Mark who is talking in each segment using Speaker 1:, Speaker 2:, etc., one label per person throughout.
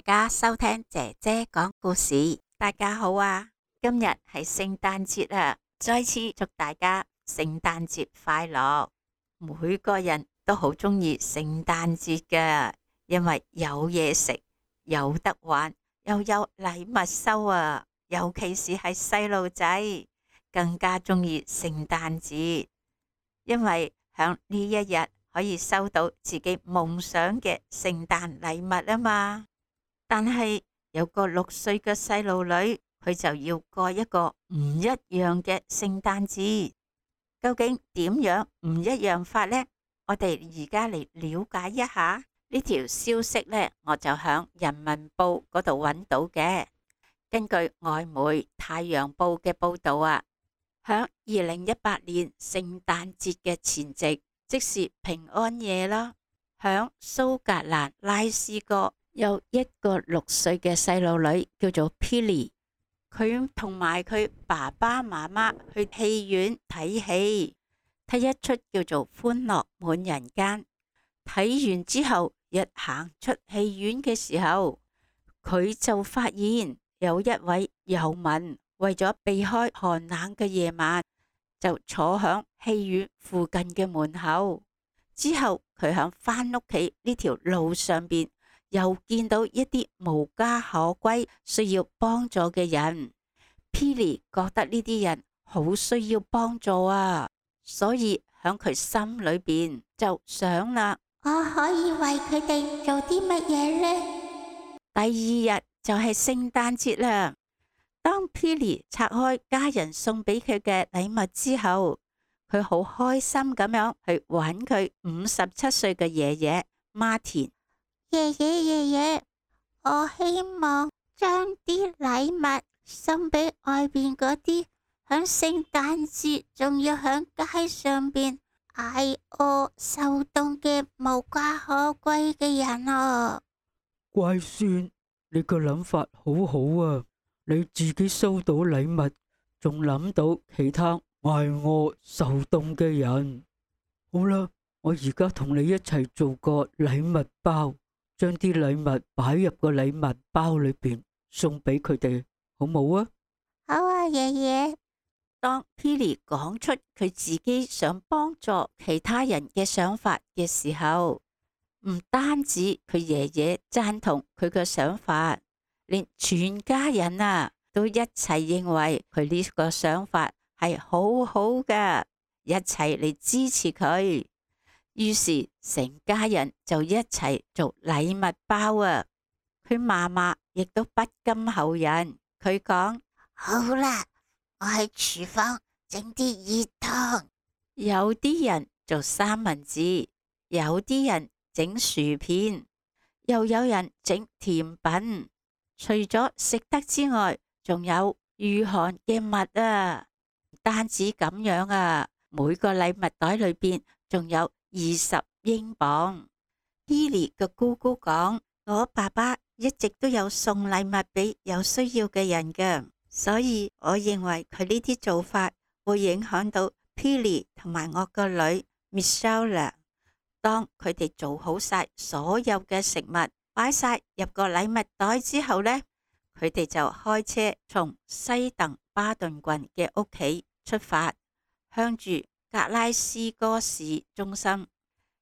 Speaker 1: 家收聽姐姐講故事。大家好啊，今日係聖誕節啊，再次祝大家聖誕節快樂。每個人都好鍾意聖誕節㗎，因為有嘢食，有得玩，又有禮物收啊。尤其是係細路仔，更加鍾意聖誕節，因為響呢一日可以收到自己夢想嘅聖誕禮物啊嘛。但係有個6歲嘅細路女，佢就要過一個唔一樣嘅聖誕節。究竟點樣唔一樣法呢？我哋而家嚟了解一下呢條消息呢，我就響人民報嗰度揾到嘅。根據外媒太陽報嘅報道啊，響2018年聖誕節嘅前夕，即是平安夜啦，響蘇格蘭拉斯哥有一個6歲嘅細路女叫做 Pilly， 佢同埋佢爸爸媽媽去戲院睇戲，睇一出叫做歡樂滿人間。睇完之後，一行出戲院嘅時候，佢就發現有一位遊民為咗避開寒冷嘅夜晚，就坐響戲院附近嘅門口。之後佢響返屋企呢條路上邊，又見到一啲無家可歸需要幫助嘅人。Pilly 覺得呢啲人好需要幫助啊，所以響佢心裏邊就想啦，
Speaker 2: 我可以為佢哋做啲乜嘢呢？
Speaker 1: 第二日就係聖誕節啦。當 Pilly 拆開家人送俾佢嘅禮物之後，佢好開心咁樣去揾佢57歲嘅爺爺 Martin。
Speaker 2: 爺爺，我希望將啲禮物送俾外邊嗰啲響聖誕節仲要響街上邊挨餓受凍嘅無家可歸嘅人啊！
Speaker 3: 乖孫，你個諗法好好啊！你自己收到禮物，仲諗到其他挨餓受凍嘅人。好啦，我而家同你一齊做個禮物包，將啲禮物擺入個禮物包裏邊，送俾佢哋，好冇啊？
Speaker 2: 好啊，爺爺。
Speaker 1: 當 Pilly 講出佢自己想幫助其他人嘅想法嘅時候，唔單止佢爺爺贊同佢嘅想法，連全家人啊都一齊認為佢呢個想法係好好嘅，一齊嚟支持佢。於是成家人就一齊做禮物包啊！佢嫲嫲亦都不甘後人，佢講：
Speaker 2: 好啦，我喺廚房整啲熱湯。
Speaker 1: 有啲人做三文治，有啲人整薯片，又有人整甜品。除咗食得之外，仲有御寒嘅物啊！唔單止咁樣啊，每個禮物袋裏邊仲有20英鎊。Pilly 嘅姑姑講：我爸爸一直都有送禮物俾有需要嘅人嘅，所以我認為佢呢啲做法會影響到 Pilly 同埋我個女 Michelle。當佢哋做好晒所有嘅食物，擺晒入個禮物袋之後呢，佢哋就開車從西鄧巴頓郡嘅屋企出發，向住格拉斯哥市中心，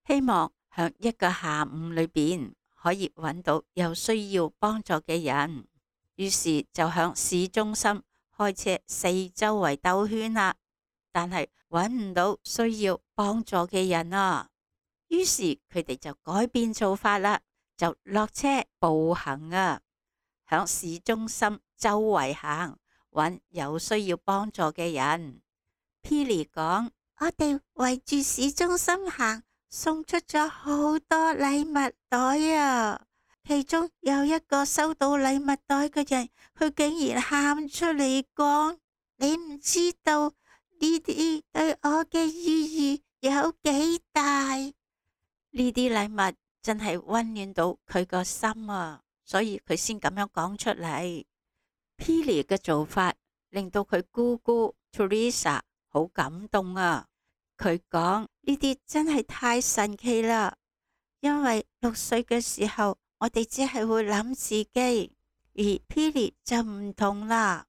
Speaker 1: 希望響一個下午裏邊可以揾到有需要幫助嘅人。於是就向市中心開車四周圍兜圈啦，但係揾唔到需要幫助嘅人啊。於是佢哋就改變做法啦，就落車步行啊，響市中心周圍行，揾有需要幫助嘅人。Pilly 講：
Speaker 2: 我哋圍住市中心行，送出咗好多禮物袋啊！其中有一個收到禮物袋嘅人，佢竟然喊出嚟講：你唔知道呢啲對我嘅意義有幾大。
Speaker 1: 呢啲禮物真係溫暖到佢個心啊，所以佢先咁樣講出嚟。Pilly 嘅做法令到佢姑姑 Teresa 好感動啊！佢講：呢啲真係太神奇啦，因為6歲嘅時候
Speaker 2: 我哋只係會諗自己，而 Pili 就唔同啦。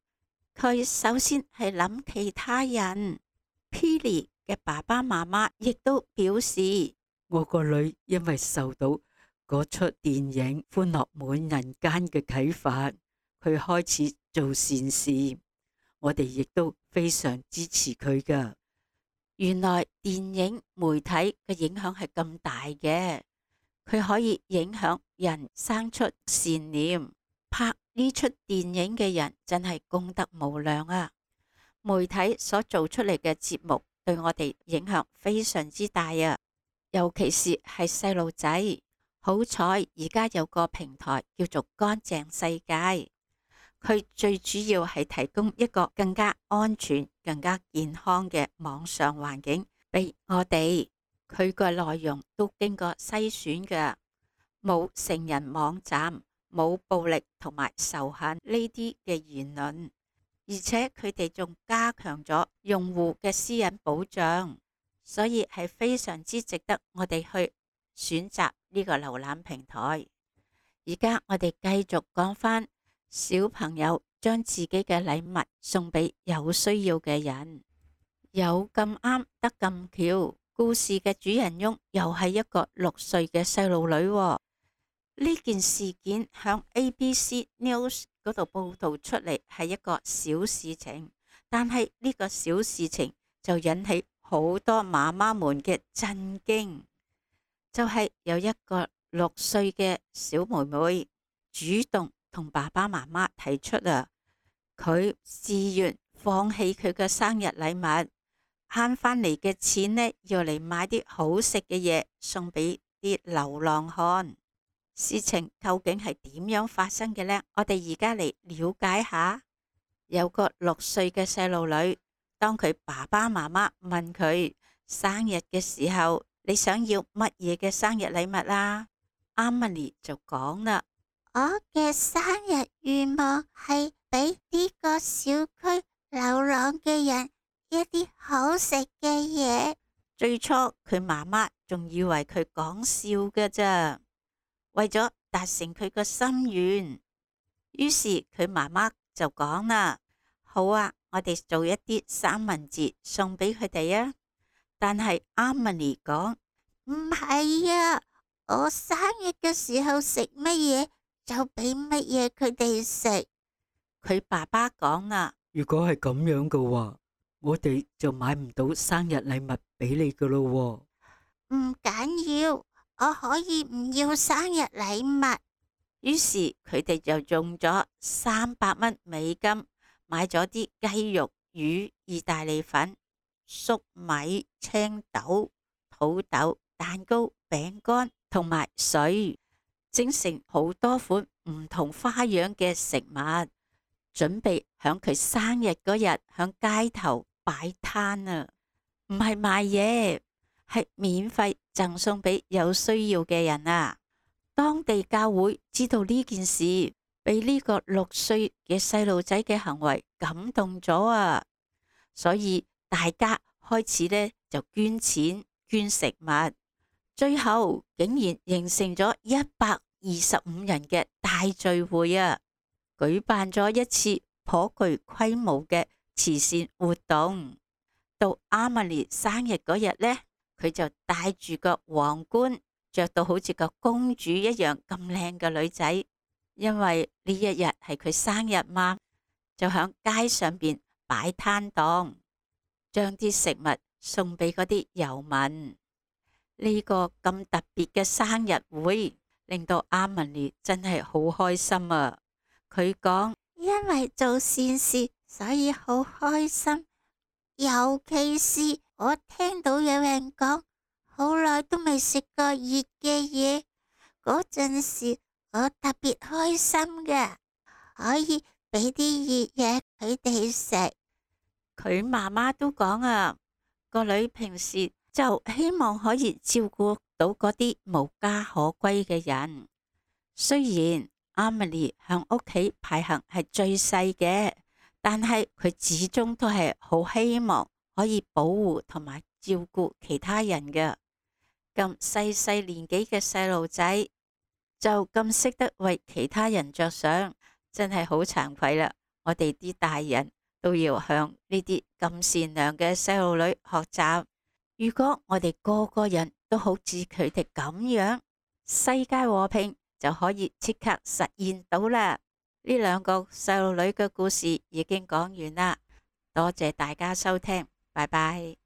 Speaker 2: 佢首先係諗其他人。
Speaker 1: Pili 嘅爸爸媽媽亦都表示，
Speaker 3: 我個女因為受到嗰出電影《歡樂滿人間》嘅啟發，佢開始做善事。我哋亦都非常支持佢㗎。
Speaker 1: 原來電影媒體嘅影響係咁大嘅，佢可以影響人生出善念。拍呢出電影嘅人真係功德無量啊！媒體所做出嚟嘅節目對我哋影響非常之大啊，尤其是係細路仔。好彩而家有個平台叫做乾淨世界，佢最主要係提供一個更加安全、更加健康嘅網上環境俾我哋。佢個內容都經過篩選嘅，冇成人網站，冇暴力同埋仇恨呢啲嘅言論，而且佢哋仲加強咗用戶嘅私隱保障，所以係非常之值得我哋去選擇呢個瀏覽平台。而家我哋繼續講返小朋友將自己嘅禮物送俾有需要嘅人，有咁啱得咁巧，故事嘅主人翁又係一個6歲嘅細路女喎。呢件事件響 ABC News 嗰度報道出嚟係一個小事情，但係呢個小事情就引起好多媽媽們嘅震驚。就係有一個6歲嘅小妹妹主動同爸爸媽媽提出佢自願放棄佢嘅生日禮物，慳翻嚟嘅錢呢，要嚟買啲好食嘅嘢送俾啲流浪漢。事情究竟係點樣發生嘅呢？我哋而家嚟了解下。有個6歲嘅細路女，當佢爸爸媽媽問佢生日嘅時候，你想要乜嘢嘅生日禮物啊？Amelie 就講啦，
Speaker 2: 我嘅生日願望係俾呢個小區流浪嘅人一啲好食嘅嘢。
Speaker 1: 最初佢媽媽仲以為佢講笑嘅咋，為咗達成佢個心願，於是佢媽媽就講啦，好啊，我哋做一啲三文治送俾佢哋啊。但係 Amelie 講，
Speaker 2: 唔係啊，我生日嘅時候食乜嘢就俾乜嘢佢哋食。
Speaker 1: 佢爸爸講啦，
Speaker 3: 如果係咁樣嘅話，我哋就買唔到生日禮物俾你噶咯。
Speaker 2: 唔緊要，我可以唔要生日禮物。
Speaker 1: 於是佢哋就用咗300美金買咗啲雞肉、魚、意大利粉、粟米、青豆、土豆、蛋糕、餅乾同埋水，整成好多款唔同花樣嘅食物，準備響佢生日嗰日響街頭擺攤啊！唔係賣嘢，係免費贈送俾有需要嘅人啊！當地教會知道呢件事，被呢個6歲嘅細路仔嘅行為感動咗啊！所以大家開始呢就捐錢捐食物，最後竟然形成咗125人嘅大聚會啊！舉辦咗一次頗具規模嘅慈善活動。到 Amelie 生日嗰日呢，佢就戴住個皇冠，着到好似個公主一樣咁靚嘅女仔，因為呢一日係佢生日嘛，就響街上邊擺攤檔，將啲食物送俾嗰啲遊民。呢個咁特別嘅生日會令到 Amelie 真係好開心啊！佢講，
Speaker 2: 因為做善事，所以好開心。尤其是我聽到有人講好耐都未食過熱嘅嘢，嗰陣時我特別開心嘅，可以俾啲熱嘢佢哋食。
Speaker 1: 佢媽媽都講啊，個女平時就希望可以照顧到嗰啲無家可歸嘅人。雖然 Amelie 響屋企排行係最細嘅，但係佢始終都係好希望可以保護同埋照顧其他人嘅。咁細細年紀嘅細路仔就咁識得為其他人着想，真係好慚愧啦！我哋啲大人都要向呢啲咁善良嘅細路女學習。如果我哋個個人都好似佢哋咁樣，世界和平就可以即刻實現到啦。呢兩個細路女嘅故事已經講完啦，多謝大家收聽，拜拜。